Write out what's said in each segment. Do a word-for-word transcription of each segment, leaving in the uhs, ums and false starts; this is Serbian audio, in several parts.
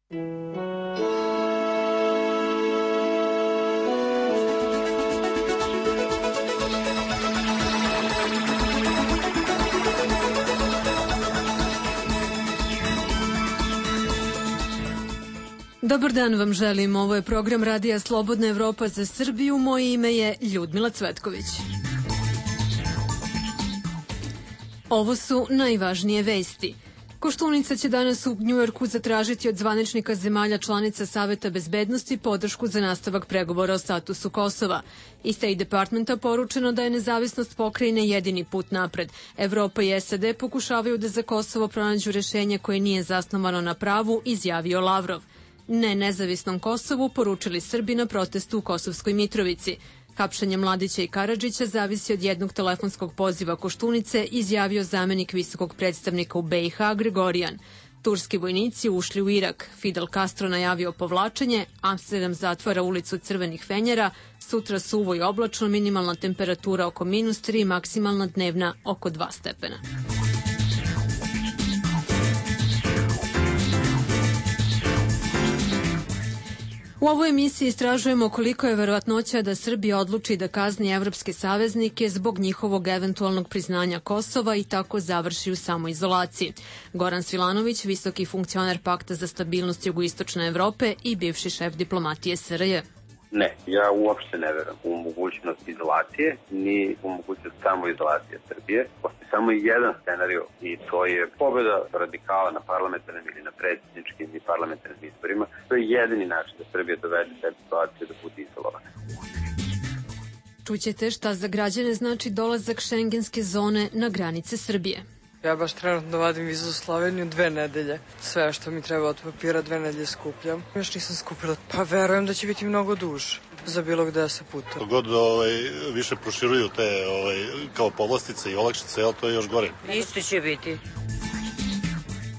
Dobar dan vam želim, ovo je program Radija Slobodna Evropa za Srbiju, moje ime je Ljudmila Cvetković. Ovo su najvažnije vesti. Koštunica će danas u Njujorku zatražiti od zvaničnika zemalja članica Saveta bezbednosti podršku za nastavak pregovora o statusu Kosova. Iz State Departmenta poručeno da je nezavisnost pokrajine jedini put napred. Evropa i S A D pokušavaju da za Kosovo pronađu rešenje koje nije zasnovano na pravu, izjavio Lavrov. Ne nezavisnom Kosovu poručili Srbi na protestu u Kosovskoj Mitrovici. Hapšenje Mladića i Karadžića zavisi od jednog telefonskog poziva Koštunice, izjavio zamenik visokog predstavnika u B i H Gregorijan. Turski vojnici ušli u Irak. Fidel Castro najavio povlačenje, Amsterdam zatvara ulicu Crvenih fenjera, sutra suvo i oblačno, minimalna temperatura oko minus tri, maksimalna dnevna oko dva stepena. U ovoj emisiji istražujemo koliko je verovatnoća da Srbija odluči da kazni evropske saveznike zbog njihovog eventualnog priznanja Kosova i tako završi u samoizolaciji. Goran Svilanović, visoki funkcioner Pakta za stabilnost jugoistočne Evrope i bivši šef diplomatije S R J. Ne, ja uopšte ne verujem u mogućnost izolacije, ni u mogućnost samoizolacije Srbije. Postoji samo jedan scenario i to je pobjeda radikala na parlamentarnim ili na predsjedničkim i parlamentarnim izborima. To je jedini način da Srbija dovede te situacije da bude izolovana. Čućete šta za građane znači dolazak šengenske zone na granice Srbije. Ja baš trenutno vadim vizu za Sloveniju dve nedelje. Sve što mi treba od papira dve nedelje skupljam. Još nisam skupila. Pa verujem da će biti mnogo duže za bilo gde da se putuje. God ovaj, više proširuju te ovaj, kao povlastice i olakšice, jel, to je još gore. Isto će biti.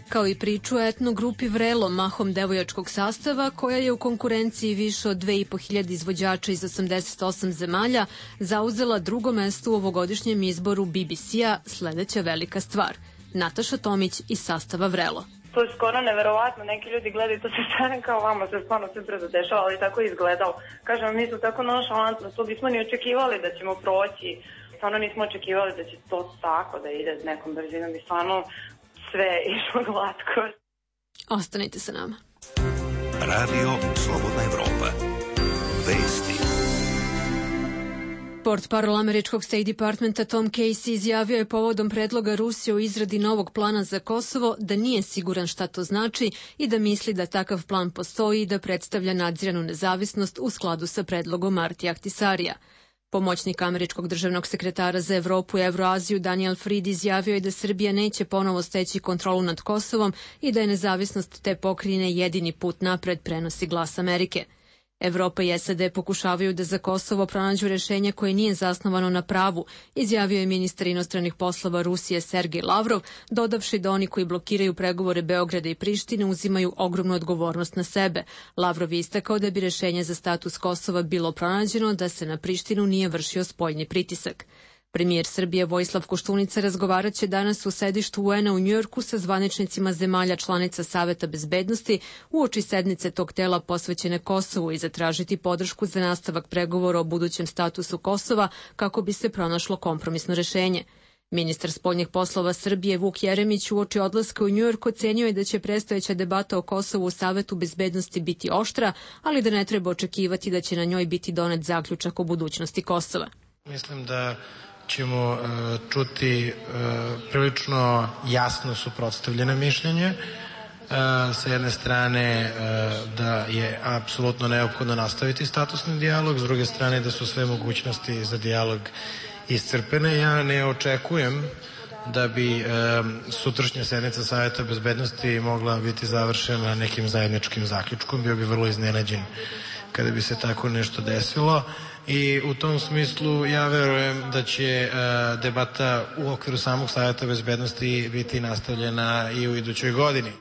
Kao i priču o etnogrupi Vrelo, mahom devojačkog sastava, koja je u konkurenciji više od dve i po hiljade izvođača iz osamdeset osam zemalja, zauzela drugo mesto u ovogodišnjem izboru B B C-a Sledeća velika stvar. Nataša Tomić iz sastava Vrelo. To je skoro neverovatno, neki ljudi gledaju to se stane kao vama, se stvarno sve brzo dešava, ali tako je izgledalo. Kažem, mi smo tako nonšalantno, to bismo ni očekivali da ćemo proći, stvarno nismo očekivali da će to tako da ide s nekom brzinom i stvarno sve išlo glatko. Ostanite sa nama. Radio Slobodna Evropa. Vesti. Portparol američkog State Departmenta Tom Casey izjavio je povodom predloga Rusije o izradi novog plana za Kosovo da nije siguran šta to znači i da misli da takav plan postoji i da predstavlja nadziranu nezavisnost u skladu sa predlogom Martija Ahtisarija. Pomoćnik američkog državnog sekretara za Evropu i Evroaziju Daniel Fried izjavio je da Srbija neće ponovo steći kontrolu nad Kosovom i da je nezavisnost te pokrajine jedini put napred, prenosi Glas Amerike. Evropa i S A D pokušavaju da za Kosovo pronađu rešenje koje nije zasnovano na pravu, izjavio je ministar inostranih poslova Rusije Sergej Lavrov, dodavši da oni koji blokiraju pregovore Beograda i Prištine uzimaju ogromnu odgovornost na sebe. Lavrov je istakao da bi rešenje za status Kosova bilo pronađeno da se na Prištinu nije vršio spoljni pritisak. Premijer Srbije Vojislav Koštunica razgovarat će danas u sedištu U N-a u Njujorku sa zvaničnicima zemalja članica Saveta bezbednosti uoči sednice tog tela posvećene Kosovu i zatražiti podršku za nastavak pregovora o budućem statusu Kosova kako bi se pronašlo kompromisno rešenje. Ministar spoljnih poslova Srbije Vuk Jeremić uoči odlaska u Njujork ocenio je da će predstojeća debata o Kosovu u Savetu bezbednosti biti oštra, ali da ne treba očekivati da će na njoj biti donet zaključak o budućnosti Kosova. Mislim da ćemo uh, čuti uh, prilično jasno suprotstavljene mišljenje. Uh, sa jedne strane uh, da je apsolutno neophodno nastaviti statusni dijalog, s druge strane da su sve mogućnosti za dijalog iscrpene. Ja ne očekujem da bi um, sutrašnja sednica Saveta bezbednosti mogla biti završena nekim zajedničkim zaključkom. Bio bi vrlo iznenađen kada bi se tako nešto desilo. I u tom smislu ja verujem da će uh, debata u okviru samog Saveta bezbednosti biti nastavljena i u idućoj godini.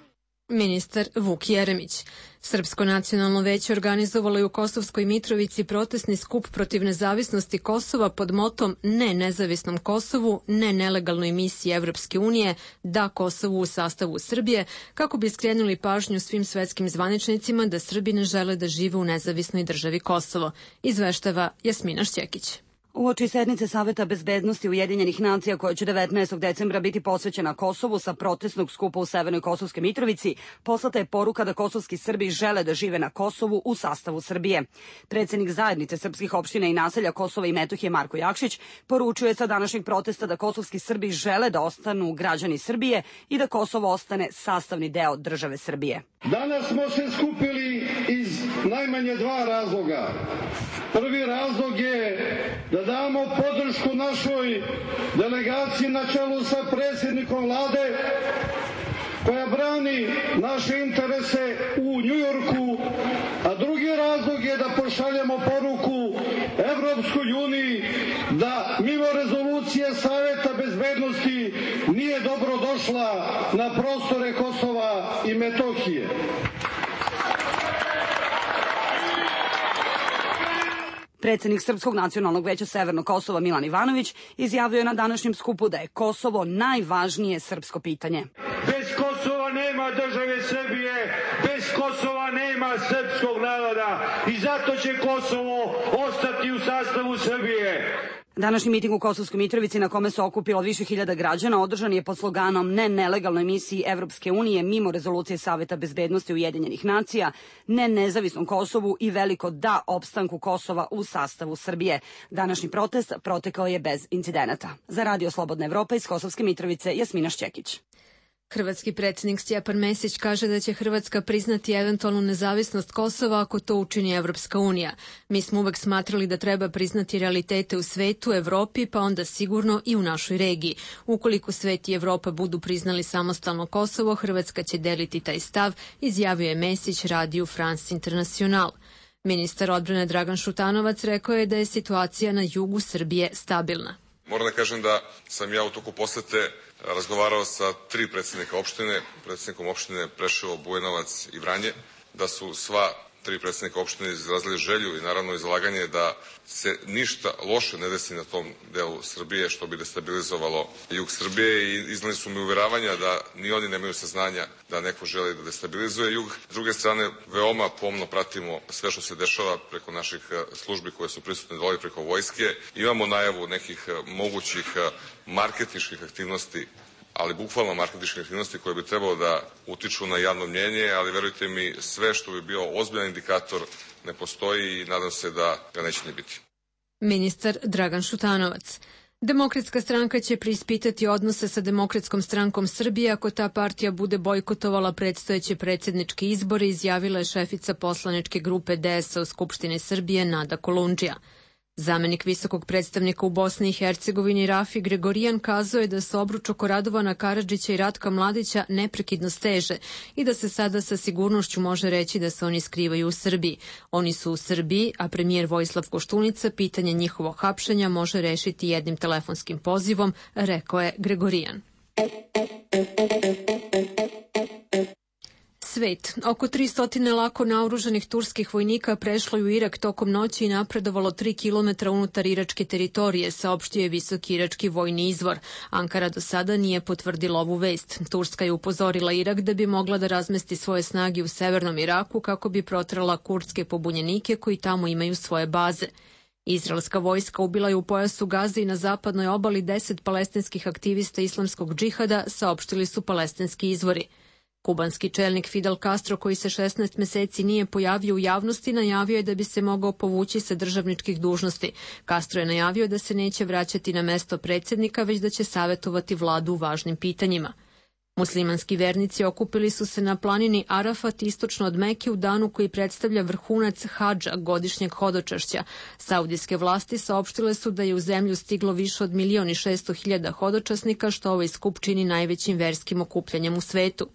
Ministar Vuk Jeremić. Srpsko nacionalno veće organizovalo je u Kosovskoj Mitrovici protestni skup protiv nezavisnosti Kosova pod motom Ne nezavisnom Kosovu, ne nelegalnoj misiji Evropske unije, da Kosovu u sastavu Srbije, kako bi skrenuli pažnju svim svetskim zvaničnicima da Srbi ne žele da žive u nezavisnoj državi Kosovo. Izveštava Jasmina Šćekić. Uoči sednice Saveta bezbednosti Ujedinjenih nacija koja će devetnaestog decembra biti posvećena Kosovu sa protestnog skupa u Severnoj Kosovskoj Mitrovici, poslata je poruka da kosovski Srbi žele da žive na Kosovu u sastavu Srbije. Predsednik zajednice srpskih opština i naselja Kosova i Metohije Marko Jakšić poručuje sa današnjeg protesta da kosovski Srbi žele da ostanu građani Srbije i da Kosovo ostane sastavni deo države Srbije. Danas smo se skupili iz najmanje dva razloga. Prvi razlog je da damo podršku našoj delegaciji na čelu sa predsjednikom vlade koja brani naše interese u Njujorku, a drugi razlog je da pošaljemo poruku Evropskoj uniji da mimo rezolucije Saveta bezbednosti nije dobro došla na prostore Kosova i Metohije. Predsednik Srpskog nacionalnog veća Severnog Kosova Milan Ivanović izjavio je na današnjem skupu da je Kosovo najvažnije srpsko pitanje. Bez Kosova nema države Srbije, bez Kosova nema srpskog naroda i zato će Kosovo ostati u sastavu Srbije. Današnji miting u Kosovskoj Mitrovici na kome se okupilo više hiljada građana održan je pod sloganom Ne nelegalnoj misiji Evropske unije mimo rezolucije Saveta bezbednosti Ujedinjenih nacija, ne nezavisnom Kosovu i veliko da opstanku Kosova u sastavu Srbije. Današnji protest protekao je bez incidenata. Za Radio Slobodna Evropa iz Kosovske Mitrovice Jasmina Šćekić. Hrvatski predsjednik Stjepan Mesić kaže da će Hrvatska priznati eventualnu nezavisnost Kosova ako to učini Evropska unija. Mi smo uvek smatrali da treba priznati realitete u svetu, Evropi, pa onda sigurno i u našoj regiji. Ukoliko svet i Evropa budu priznali samostalno Kosovo, Hrvatska će deliti taj stav, izjavio je Mesić radiju France International. Ministar odbrane Dragan Šutanovac rekao je da je situacija na jugu Srbije stabilna. Moram da kažem da sam ja u toku posete razgovarao sa tri predsjednika opštine, predsjednikom opštine Preševo, Bujanovac i Vranje, da su sva tri predsjednika opštine izrazili želju i naravno izlaganje da se ništa loše ne desi na tom delu Srbije što bi destabilizovalo jug Srbije i iznali su mi uveravanja da ni oni nemaju saznanja da neko želi da destabilizuje jug. S druge strane, veoma pomno pratimo sve što se dešava preko naših službi koje su prisutne dole preko vojske. Imamo najavu nekih mogućih marketinških aktivnosti, ali bukvalno marketinške aktivnosti koje bi trebalo da utiču na javno mnjenje, ali verujte mi, sve što bi bio ozbiljan indikator ne postoji i nadam se da ga neće ni biti. Ministar Dragan Šutanovac. Demokratska stranka će preispitati odnose sa Demokratskom strankom Srbije ako ta partija bude bojkotovala predstojeće predsjedničke izbore, izjavila je šefica poslaničke grupe D S A u Skupštini Srbije Nada Kolundžija. Zamenik visokog predstavnika u Bosni i Hercegovini Rafi Gregorijan kazao je da se obruč oko Radovana Karadžića i Ratka Mladića neprekidno steže i da se sada sa sigurnošću može reći da se oni skrivaju u Srbiji. Oni su u Srbiji, a premijer Vojislav Koštunica pitanje njihovog hapšenja može rešiti jednim telefonskim pozivom, rekao je Gregorijan. Svet. Oko tristo lako naoružanih turskih vojnika prešlo je u Irak tokom noći i napredovalo tri kilometra unutar iračke teritorije, saopštio je visoki irački vojni izvor. Ankara do sada nije potvrdila ovu vest. Turska je upozorila Irak da bi mogla da razmesti svoje snage u severnom Iraku kako bi protrala kurdske pobunjenike koji tamo imaju svoje baze. Izraelska vojska ubila je u pojasu Gaze i na zapadnoj obali deset palestinskih aktivista islamskog džihada, saopštili su palestinski izvori. Kubanski čelnik Fidel Castro, koji se šesnaest meseci nije pojavio u javnosti, najavio je da bi se mogao povući sa državničkih dužnosti. Castro je najavio da se neće vraćati na mesto predsjednika, već da će savjetovati vladu u važnim pitanjima. Muslimanski vernici okupili su se na planini Arafat istočno od Meke u danu koji predstavlja vrhunac hadža, godišnjeg hodočašća. Saudijske vlasti saopštile su da je u zemlju stiglo više od milion i šesto hiljada hodočasnika, što ovaj skup čini najvećim verskim okupljanjem u svetu.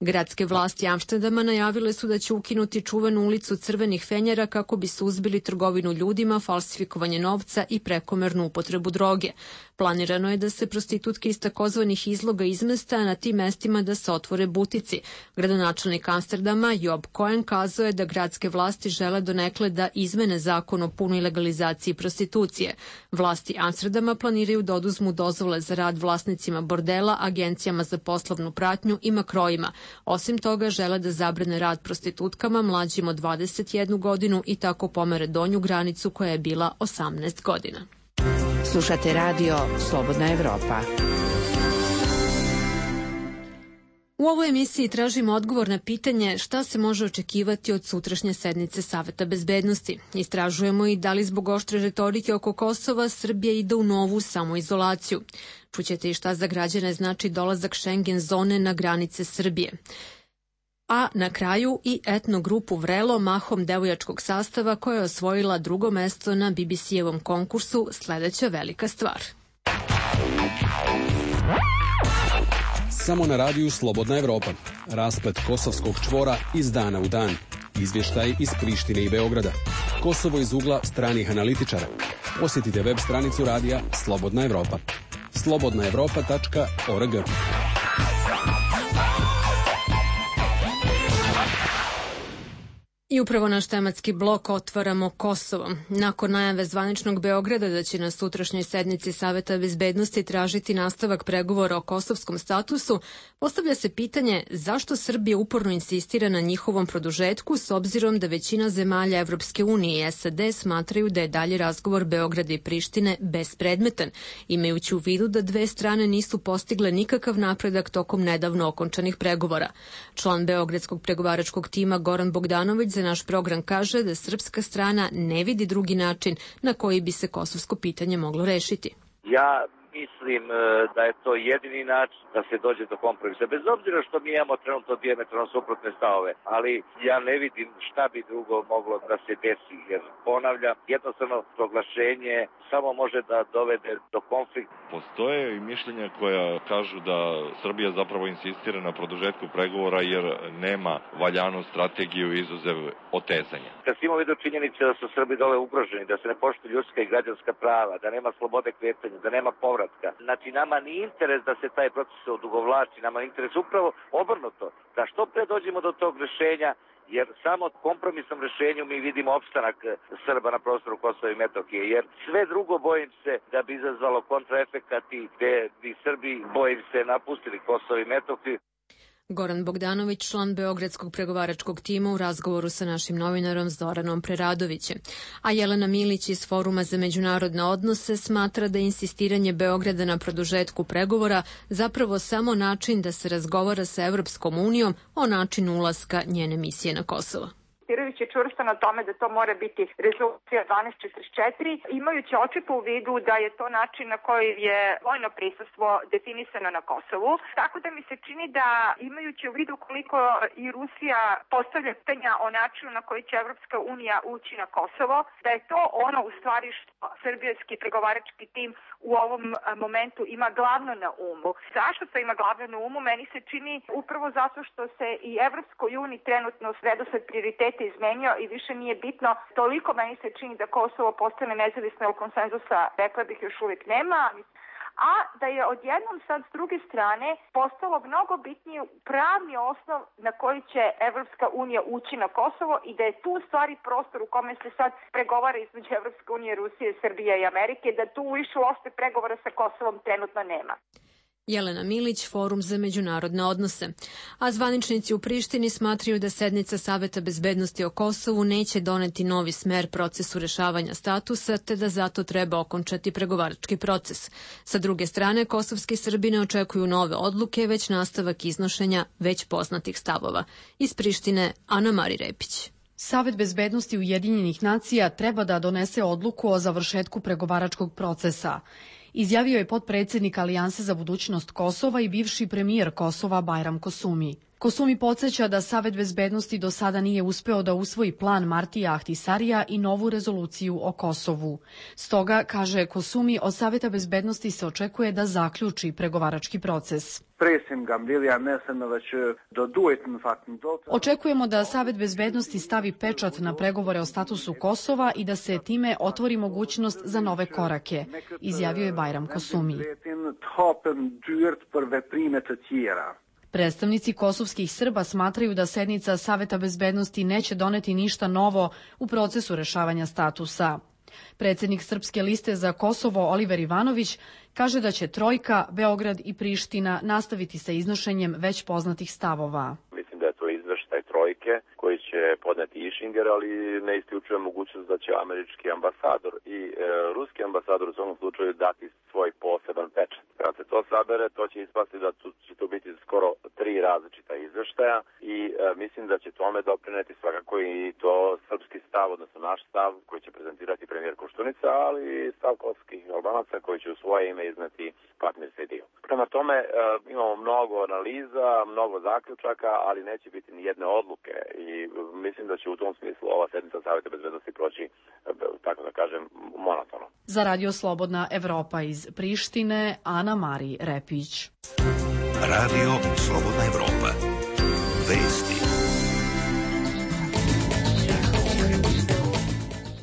Gradske vlasti Amsterdama najavile su da će ukinuti čuvenu ulicu Crvenih fenjera kako bi suzbili trgovinu ljudima, falsifikovanje novca i prekomernu upotrebu droge. Planirano je da se prostitutke iz takozvanih izloga izmesta, a na tim mestima da se otvore butici. Gradonačelnik Amsterdama Job Cohen kazao je da gradske vlasti žele donekle da izmene zakon o punoj legalizaciji prostitucije. Vlasti Amsterdama planiraju da oduzmu dozvole za rad vlasnicima bordela, agencijama za poslovnu pratnju i makrojima. Osim toga, žele da zabrane rad prostitutkama mlađim od dvadeset jednu godinu i tako pomere donju granicu koja je bila osamnaest godina. Slušate radio Slobodna Evropa. U ovoj emisiji tražimo odgovor na pitanje šta se može očekivati od sutrašnje sednice Saveta bezbednosti. Istražujemo i da li zbog oštre retorike oko Kosova Srbija ide u novu samoizolaciju. Čućete i šta za građane znači dolazak Schengen zone na granice Srbije. A na kraju i etno grupu Vrelo, mahom devojačkog sastava, koja je osvojila drugo mesto na B B C-evom konkursu Sledeća velika stvar. Samo na radiju Slobodna Evropa. Rasplet kosovskog čvora iz dana u dan. Izvještaj iz Prištine i Beograda. Kosovo iz ugla stranih analitičara. Posjetite web stranicu radija Slobodna Evropa. slobodna evropa tačka org. I upravo naš tematski blok otvaramo Kosovom. Nakon najave zvaničnog Beograda da će na sutrašnjoj sednici Saveta bezbednosti tražiti nastavak pregovora o kosovskom statusu, postavlja se pitanje zašto Srbija uporno insistira na njihovom produžetku s obzirom da većina zemalja Evropske unije i S A D smatraju da je dalji razgovor Beograda i Prištine bespredmetan, imajući u vidu da dve strane nisu postigle nikakav napredak tokom nedavno okončanih pregovora. Član Beogradskog pregovaračkog tima Goran Bogdanović za naš program kaže da srpska strana ne vidi drugi način na koji bi se kosovsko pitanje moglo rešiti. Ja mislim da je to jedini način da se dođe do kompromisa. Bez obzira što mi imamo trenutno dijametralno suprotne stavove, ali ja ne vidim šta bi drugo moglo da se desi, jer ponavljam, jednostavno proglašenje samo može da dovede do konflikta. Postoje i mišljenja koja kažu da Srbija zapravo insistira na produžetku pregovora jer nema valjanu strategiju izuzev otezanja. Kad si imamo vidio činjenice da su Srbi dole ugroženi, da se ne poštuju ljudska i građanska prava, da nema slobode kretanja, da nema povratka. Znači, nama nije interes da se taj proces odugovlači, nama je interes upravo obrnuto, da što pre dođemo do tog rešenja, jer samo kompromisnom rešenju mi vidimo opstanak Srba na prostoru Kosova i Metohije, jer sve drugo bojim se da bi izazvalo kontraefekat i gde bi Srbi, bojim se, napustili Kosovo i Metohiju. Goran Bogdanović, član Beogradskog pregovaračkog tima u razgovoru sa našim novinarom Zoranom Preradovićem. A Jelena Milić iz Foruma za međunarodne odnose smatra da je insistiranje Beograda na produžetku pregovora zapravo samo način da se razgovara sa Evropskom unijom o načinu ulaska njene misije na Kosovo. Insistirajući čvrsto na tome da to mora biti rezolucija dvanaest četrdeset četiri, imajući očito u vidu da je to način na koji je vojno prisustvo definisano na Kosovu. Tako da mi se čini da, imajući u vidu koliko i Rusija postavlja pitanja o načinu na koji će Evropska unija ući na Kosovo, da je to ono u stvari što srbijski pregovarački tim u ovom momentu ima glavno na umu. Zašto to ima glavno na umu? Meni se čini upravo zato što se i Evropskoj uniji trenutno redosled prioriteta izmenio i više nije bitno. Toliko meni se čini da Kosovo postane nezavisno, jer konsenzusa, rekla bih, još uvijek nema, a da je odjednom sad s druge strane postalo mnogo bitnije pravni osnov na koji će Evropska unija ući na Kosovo i da je tu stvari prostor u kome se sad pregovara između Evropske unije, Rusije, Srbije i Amerike, da tu više uopšte pregovora sa Kosovom trenutno nema. Jelena Milić, Forum za međunarodne odnose. A zvaničnici u Prištini smatraju da sednica Saveta bezbednosti o Kosovu neće doneti novi smer procesu rešavanja statusa, te da zato treba okončati pregovarački proces. Sa druge strane, kosovski Srbi ne očekuju nove odluke, već nastavak iznošenja već poznatih stavova. Iz Prištine, Ana Mari Repić. Savet bezbednosti Ujedinjenih nacija treba da donese odluku o završetku pregovaračkog procesa. Izjavio je potpredsednik Alijanse za budućnost Kosova i bivši premijer Kosova Bajram Kosumi. Kosumi podsjeća da Savet bezbednosti do sada nije uspeo da usvoji plan Martija Ahtisarija i novu rezoluciju o Kosovu. Stoga, kaže Kosumi, od Saveta bezbednosti se očekuje da zaključi pregovarački proces. Očekujemo da Savet bezbednosti stavi pečat na pregovore o statusu Kosova i da se time otvori mogućnost za nove korake, izjavio je Bajram Kosumi. Predstavnici kosovskih Srba smatraju da sednica Saveta bezbednosti neće doneti ništa novo u procesu rešavanja statusa. Predsednik Srpske liste za Kosovo Oliver Ivanović kaže da će Trojka, Beograd i Priština nastaviti sa iznošenjem već poznatih stavova. Mislim da je to izveštaj Trojke koji će podneti Išinger, ali ne isključuje mogućnost da će američki ambasador i e, ruski ambasador u svom slučaju dati svoj poseban pečat. Kad se to sabere, to će ispasti da će to biti skoro tri različita izveštaja i e, mislim da će tome doprineti svakako i to srpski stav, odnosno naš stav koji će prezentirati premijer Koštunica, ali i stav kosovskih Albanaca koji će u svoje ime izneti Fatmir Sejdijev. Prema tome e, imamo mnogo analiza, mnogo zaključaka, ali neće biti ni jedne odluke i mislim da će u tom smislu ova sednica Saveta bezbednosti proći, tako da kažem, monotono. Za Radio Slobodna Evropa iz Prištine, Ana Mari Repić. Radio Slobodna Evropa. Vesti.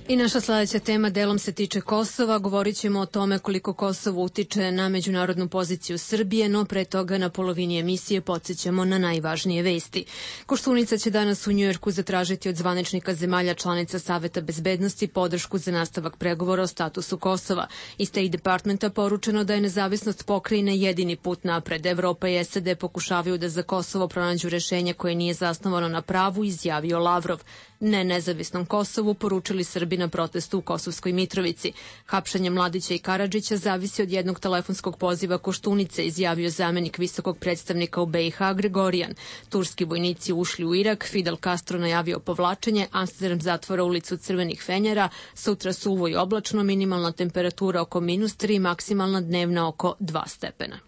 I naša sledeća tema delom se tiče Kosova. Govorit ćemo o tome koliko Kosovo utiče na međunarodnu poziciju Srbije, no pre toga na polovini emisije podsjećamo na najvažnije vesti. Koštunica će danas u Njujorku zatražiti od zvaničnika zemalja članica Saveta bezbednosti podršku za nastavak pregovora o statusu Kosova. Iz State Departmenta poručeno da je nezavisnost pokrajine jedini put napred. Evropa i S A D pokušavaju da za Kosovo pronađu rešenje koje nije zasnovano na pravu, izjavio Lavrov. Ne nezavisnom Kosovu poručili Srbi na protestu u Kosovskoj Mitrovici. Hapšanje Mladića i Karadžića zavisi od jednog telefonskog poziva Koštunice, izjavio zamenik visokog predstavnika u B i H Gregorijan. Turski vojnici ušli u Irak, Fidel Castro najavio povlačenje, Amsterdam zatvora ulicu Crvenih fenjera, sutra suvo i oblačno, minimalna temperatura oko minus tri, maksimalna dnevna oko dva stepena.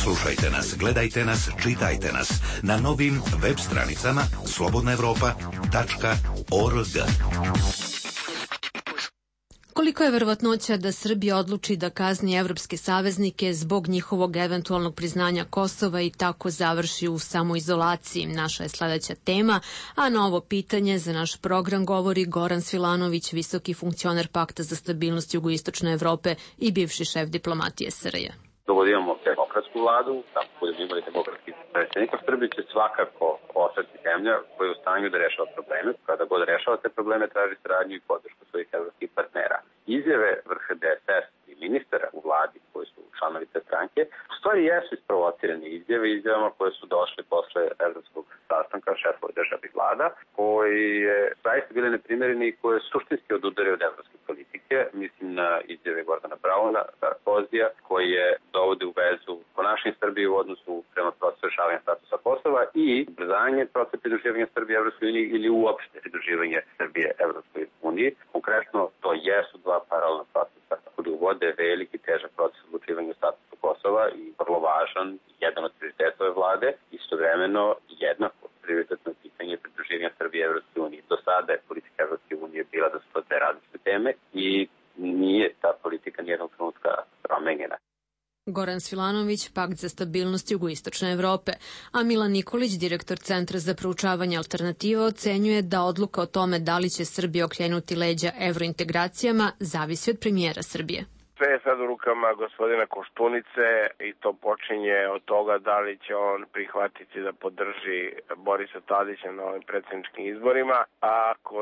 Slušajte nas, gledajte nas, čitajte nas na novim web stranicama slobodna evropa tačka org. Koliko je verovatnoća da Srbija odluči da kazni evropske saveznike zbog njihovog eventualnog priznanja Kosova i tako završi u samoizolaciji? Naša je sledeća tema, a na ovo pitanje za naš program govori Goran Svilanović, visoki funkcioner Pakta za stabilnost jugoistočne Evrope i bivši šef diplomatije S R J. Dok imamo demokratsku vladu, tako budemo imali demokratski predsjednik, Srbija će svakako ostati zemlja koja je u stanju da rešava probleme. Kada god rešava te probleme, traži saradnju i podršku svojih evropskih partnera. Izjave vrha D S S i ministara u vladi koji su članovi te stranke, u stvari jesu isprovocirane izjave, izjavama koje su došle posle evropskog sastanka šefova državnih vlada, koji je zaista bile neprimerene i koje suštinski odudare od evropske politike. Mislim na izjave Gordana Brauna, Sarkozija, koji je dovode u vezu ponašanje Srbije u odnosu prema procesu rešavanja statusa Kosova i ubrzanje procesa pridruživanja Srbije Evropskoj uniji ili uopšte pridruživanje Srbije Evropskoj uniji. Konkretno, to jesu dva paralelna procesa koji uvode veliki težak proces odlučivanja o statusu Kosova i vrlo važan, jedan od prioriteta ove vlade, istovremeno jednako prioritetno pitanje pridruživanja Srbije Evropskoj uniji. Do sada je politika Evropske unije bila da su to dve različite teme i nije ta politika nijednog trenutka promenjena. Goran Svilanović, Pakt za stabilnost jugoistočne Evrope, a Milan Nikolić, direktor Centra za proučavanje alternativa, ocenjuje da odluka o tome da li će Srbija okrenuti leđa evrointegracijama zavisi od premijera Srbije. Sve je sad u rukama gospodina Koštunice i to počinje od toga da li će on prihvatiti da podrži Borisa Tadića na ovim predsjedničkim izborima. A ako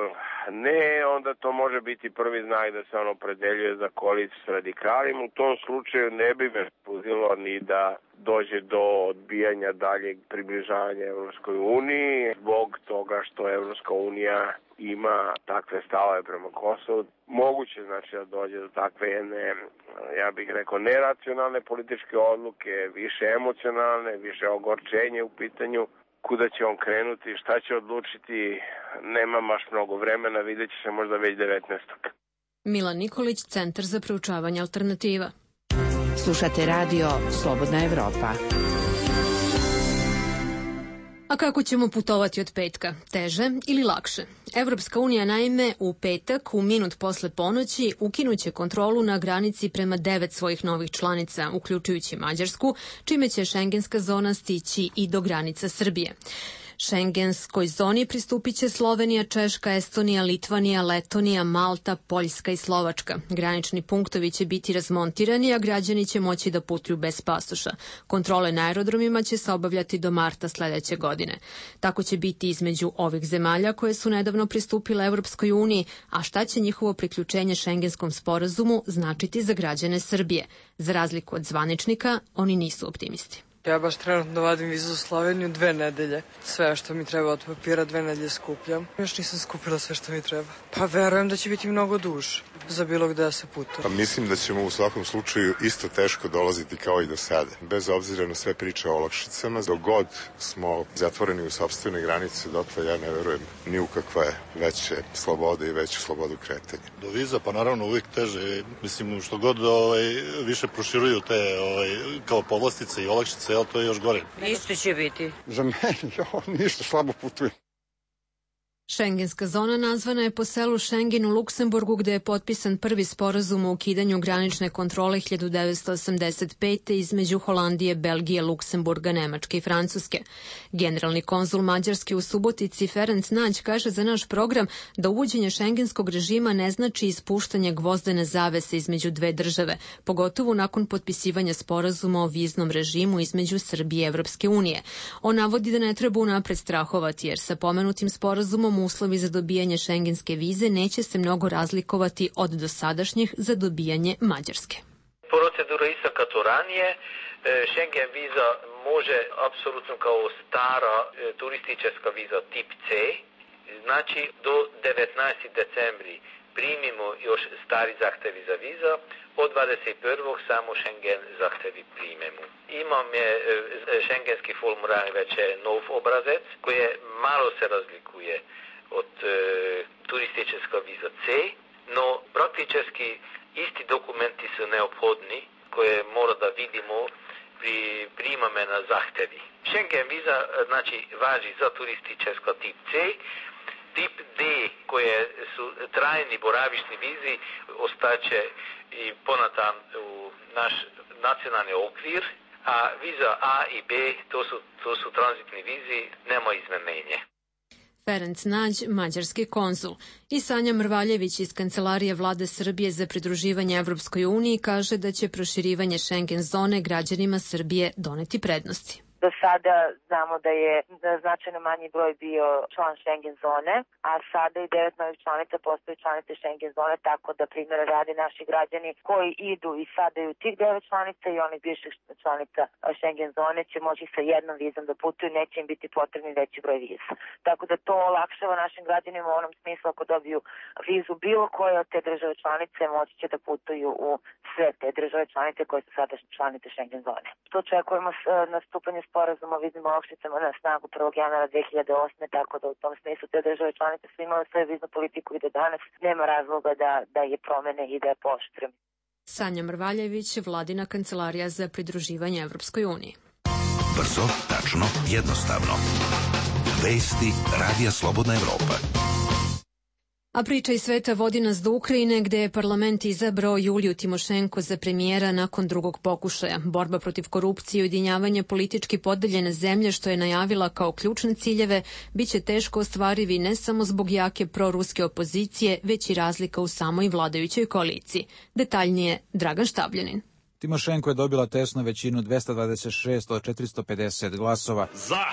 ne, onda to može biti prvi znak da se on opredeljuje za koaliciju s radikalima. U tom slučaju ne bi me spuzilo ni da dođe do odbijanja daljeg približavanja Evropskoj uniji zbog toga što Evropska unija ima takve stavove prema Kosovu. Moguće znači da dođe do takve jedne, ja bih rekao, neracionalne političke odluke, više emocionalne, više ogorčenje u pitanju. Kuda će on krenuti, šta će odlučiti, nema baš mnogo vremena, vidjet će se možda već devetnaestog Milan Nikolić, Centar za proučavanje alternativa. Slušate radio Slobodna Evropa. A kako ćemo putovati od petka? Teže ili lakše? Evropska unija naime u petak, u minut posle ponoći, ukinuće kontrolu na granici prema devet svojih novih članica, uključujući Mađarsku, čime će šengenska zona stići i do granica Srbije. Šengenskoj zoni pristupit će Slovenija, Češka, Estonija, Litvanija, Letonija, Malta, Poljska i Slovačka. Granični punktovi će biti razmontirani, a građani će moći da putuju bez pasoša. Kontrole na aerodromima će se obavljati do marta sledeće godine. Tako će biti između ovih zemalja koje su nedavno pristupile Evropskoj uniji, a šta će njihovo priključenje Šengenskom sporazumu značiti za građane Srbije? Za razliku od zvaničnika, oni nisu optimisti. Ja baš trenutno vadim vizu za Sloveniju dve nedelje. Sve što mi treba od papira dve nedelje skupljam. Još nisam skupila sve što mi treba. Pa verujem da će biti mnogo duže za bilo gde da se putuje. Pa mislim da ćemo u svakom slučaju isto teško dolaziti kao i do sada. Bez obzira na sve priče o olakšicama, dok god smo zatvoreni u sopstvene granice, dotle ja ne verujem ni u kakve veće slobode i veću slobodu kretanja. Do viza pa naravno uvijek teže. Mislim što god ovaj, više proširuju te ovaj, kao povlastice i olakšice, jel, to je još gore. Isto će biti. Za mene, jo, ništa, slabo putujem. Šengenska zona nazvana je po selu Šengen u Luksemburgu, gde je potpisan prvi sporazum o ukidanju granične kontrole hiljadu devetsto osamdeset pete. između Holandije, Belgije, Luksemburga, Nemačke i Francuske. Generalni konzul Mađarske u Subotici Ferenc Nađ kaže za naš program da uvođenje šengenskog režima ne znači ispuštanje gvozdene zavese između dve države, pogotovo nakon potpisivanja sporazuma o viznom režimu između Srbije i Evropske unije. On navodi da ne treba unapred strahovati, jer sa pomenutim sporazumom uslovi za dobijanje šengenske vize neće se mnogo razlikovati od dosadašnjih za dobijanje Mađarske. Procedura ista kao ranije. Schengen viza može apsolutno kao stara turistička viza tip C. Znači do devetnaestog decembri primimo još stari zahtevi za viza, od dvadeset prvog samo Schengen zahtevi primemo. Imam je šengenski formular već je nov obrazec koji malo se razlikuje od e, turistička viza C, no praktički isti dokumenti su neophodni koje mora da vidimo pri primame na zahtevi. Schengen viza znači važi za turistička tip C, tip D koje su trajni boravišni vizi ostaće i ponatan u naš nacionalni okvir, a viza A i B to su, to su tranzitni vizi, nema izmenjenja. Ferenc Nađ, mađarski konzul. I Sanja Mrvaljević iz Kancelarije Vlade Srbije za pridruživanje Evropskoj uniji kaže da će proširivanje Schengen zone građanima Srbije doneti prednosti. Do sada znamo da je značajno manji broj bio član Schengen zone, a sada i devet novih članica postaju članice Schengen zone, tako da primjera radi naši građani koji idu i sada i u tih devet članica i onih bivših članica Schengen zone će moći sa jednom vizom da putuju, neće im biti potrebni veći broj viza. Tako da to olakšava našim građanima u onom smislu ako dobiju vizu bilo koje od te države članice moći će da putuju u sve te države članice koje su sada članice Schengen zone. To očekujemo nastupanje sporazuma o viznim olakšicama na snagu prvog januara dve hiljade osme. Tako da u tom smislu te države članice su imale svoju viznu politiku i da danas nema razloga da, da je promene i da je pooštre. Sanja Mrvaljević, Vladina kancelarija za pridruživanje Evropskoj uniji. Brzo, tačno, jednostavno. Vesti Radija Slobodna Evropa. A priča iz sveta vodi nas do Ukrajine, gde je parlament izabrao Juliju Timošenko za premijera nakon drugog pokušaja. Borba protiv korupcije i ujedinjavanje politički podeljene zemlje, što je najavila kao ključne ciljeve, biće teško ostvarivi ne samo zbog jake proruske opozicije, već i razlika u samoj vladajućoj koaliciji. Detaljnije, Dragan Štabljanin. Timošenko je dobila tesnu većinu dvesta dvadeset šest od četiristo pedeset glasova. Za!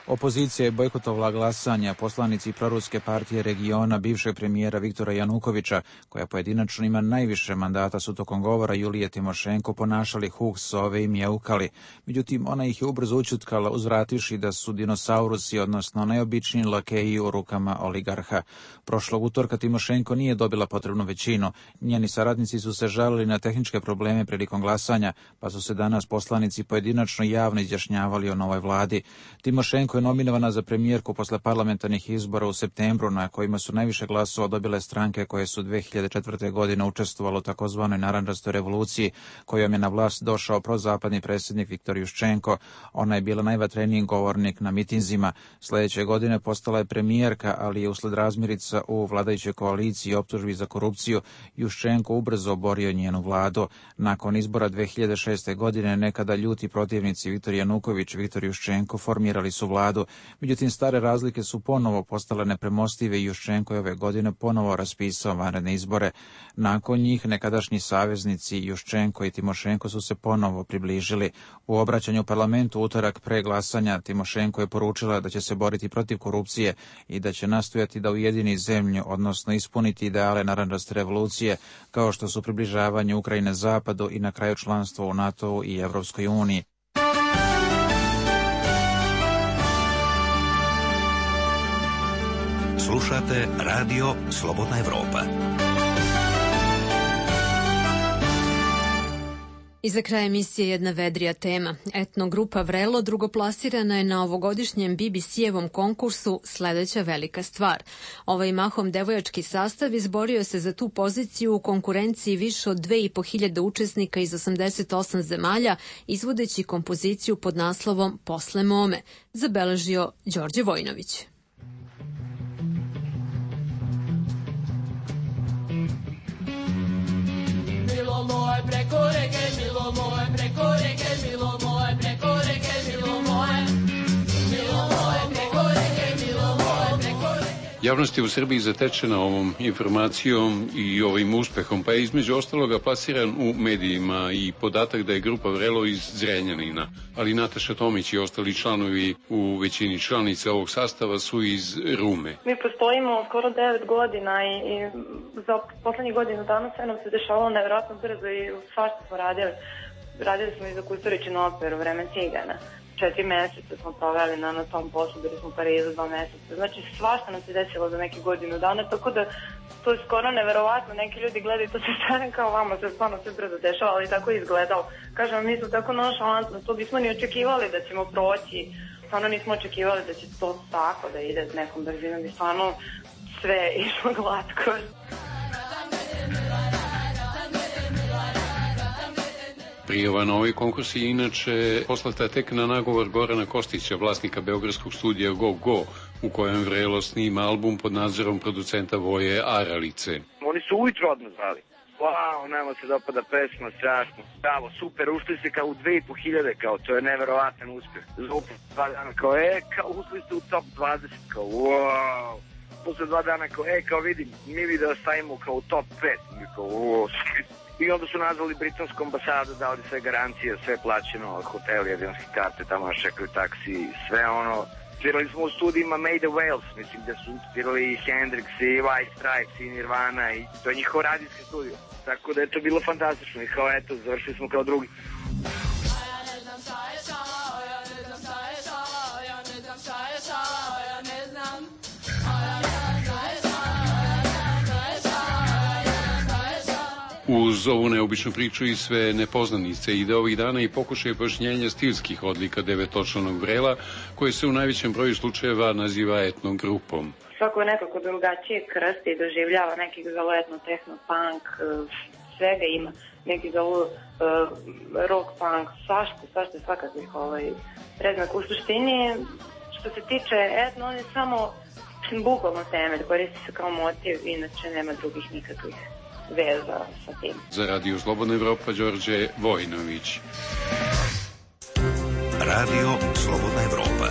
Opozicija je bojkotovala glasanja. Poslanici proruske partije regiona bivšeg premijera Viktora Janukovića, koja pojedinačno ima najviše mandata, su tokom govora Julije Timošenko ponašali huh, sove i mjeukali. Međutim, ona ih je ubrzo učutkala, uzvrativši da su dinosaurusi, odnosno najobičniji lakeji u rukama oligarha. Prošlog utorka Timošenko nije dobila potrebnu većinu. Njeni saradnici su se žalili na tehničke probleme prilikom glasanja, pa su se danas poslanici pojedinačno javno izjašnjavali o novoj vladi. Timošenko je je nominovana za premijerku posle parlamentarnih izbora u septembru, na kojima su najviše glasova dobile stranke koje su dve hiljade četvrte. godine učestvovalo u takozvanoj narandžastoj revoluciji, kojom je na vlast došao prozapadni predsjednik Viktor Juščenko. Ona je bila najvatreniji govornik na mitinzima. Sljedeće godine postala je premijerka, ali je usled razmirica u vladajućoj koaliciji i optužbi za korupciju Juščenko ubrzo oborio njenu vladu. Nakon izbora dve hiljade šeste. godine nekada ljuti protivnici Viktor Januković, Viktor Juščenko formirali su vladu. Međutim, stare razlike su ponovo postale nepremostive i Juščenko je ove godine ponovo raspisao vanredne izbore. Nakon njih nekadašnji saveznici Juščenko i Timošenko su se ponovo približili. U obraćanju parlamentu utorak pre glasanja Timošenko je poručila da će se boriti protiv korupcije i da će nastojati da ujedini zemlju, odnosno ispuniti ideale narandžaste revolucije, kao što su približavanje Ukrajine zapadu i na kraju članstvo u NATO i Evropskoj uniji. Slušate radio Slobodna Evropa. I za kraj emisije jedna vedrija tema. Etnogrupa Vrelo drugoplasirana je na ovogodišnjem B B C-evom konkursu Sledeća velika stvar. Ovaj mahom devojački sastav izborio se za tu poziciju u konkurenciji više od dve i po hiljade učesnika iz osamdeset osam zemalja, izvodeći kompoziciju pod naslovom Posle mome, zabeležio Đorđe Vojnović. Milo moje preko reke, milo moje preko reke, milo moje preko reke, milo moje, milo moje preko reke, milo moje preko reke. Javnost je u Srbiji zatečena ovom informacijom i ovim uspehom, pa je između ostaloga plasiran u medijima i podatak da je grupa Vrelo iz Zrenjanina, ali Nataša Tomić i ostali članovi u većini članica ovog sastava su iz Rume. Mi postojimo skoro devet godina i, i za poslednjih godinu dana sve nam se dešavalo nevjerojatno brzo i svašta smo radili. Radili smo i za Kusturičinu operu Vreme cigana. Četiri meseca smo proveli na, na tom poslu, bili smo u Parizu dva meseca. Znači svašta nam se desilo za neke godinu dana, tako da to je skoro neverovatno. Neki ljudi gledaju to se stane kao vama, se stvarno sve brzo dešava, ali tako je izgledalo. Kažem, mi smo tako nonšalantno, to bismo ni očekivali da ćemo proći. Stvarno nismo očekivali da će to tako da ide s nekom brzinom i stvarno sve išlo glatko. Prijava na ovaj konkurs je inače poslata tek na nagovor Gorana Kostića, vlasnika beogradskog studija Go Go, u kojem Vrelo snima album pod nadzorom producenta Voje Aralice. Oni su ujutro odmah zvali. Wow, nama se dopada pesma, strašno. Bravo, super, ušli ste kao u dve i po hiljade, kao, to je neverovatan uspjeh. Zvupo dva dana, kao, e, kao, ušli ste u top dvadeset, kao, wow. Posle dva dana, kao, e, kao, vidim, mi bi da stavimo kao u top pet, mi kao, wow. I onda su nazvali britansku ambasadu, dali sve garancije, sve plaćeno, hoteli, avionske karte, tamo nas čekaju taksi, sve ono. Svirali smo u studijima Made of Wales, mislim da su svirali i Hendrix, i White Stripes, i Nirvana, i to je njihov radijski studio. Tako da je to bilo fantastično i kao eto, završili smo kao drugi. Uz ovu neobičnu priču i sve nepoznanice ide ovih dana i pokušaj pojašnjenja stilskih odlika devetočlanog Vrela, koje se u najvećem broju slučajeva naziva etnogrupom. Svako je nekako drugačije krsti i doživljava, neki ga zovu etno, tehno, punk, svega ima, neki zovu uh, rock, punk, svašta, svašta svakakvih ovaj, predznak. U suštini, što se tiče etno, on je samo bukvalno temelj, koristi se kao motiv, inače nema drugih nikakvih veza sa tim. Za Radio Slobodna Evropa, Đorđe Vojnović. Radio Slobodna Evropa.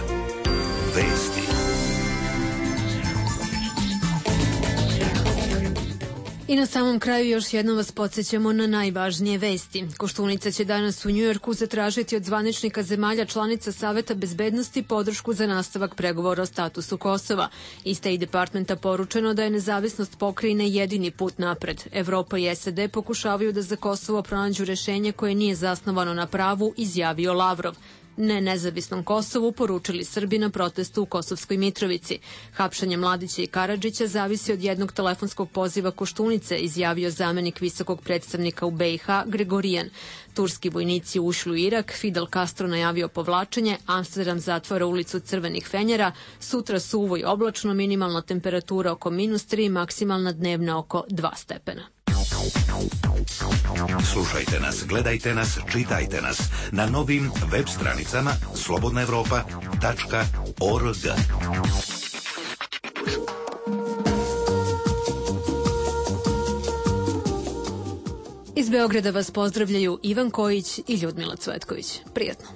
Vesti. I na samom kraju još jednom vas podsjećamo na najvažnije vesti. Koštunica će danas u Njujorku zatražiti od zvaničnika zemalja članica Saveta bezbednosti podršku za nastavak pregovora o statusu Kosova. Iz State Departmenta poručeno da je nezavisnost pokrajine jedini put napred. Evropa i S A D pokušavaju da za Kosovo pronađu rešenje koje nije zasnovano na pravu, izjavio Lavrov. Ne nezavisnom Kosovu, poručili Srbi na protestu u Kosovskoj Mitrovici. Hapšanje Mladića i Karadžića zavisi od jednog telefonskog poziva Koštunice, izjavio zamenik visokog predstavnika u B i H Gregorijan. Turski vojnici ušli u Irak, Fidel Castro najavio povlačenje, Amsterdam zatvara ulicu Crvenih fenjera, sutra suvo i oblačno, minimalna temperatura oko minus tri, maksimalna dnevna oko dva stepena. Slušajte nas, gledajte nas, čitajte nas na novim web stranicama slobodna evropa tačka org. Iz Beograda vas pozdravljaju Ivan Kojić i Ljudmila Cvetković. Prijatno.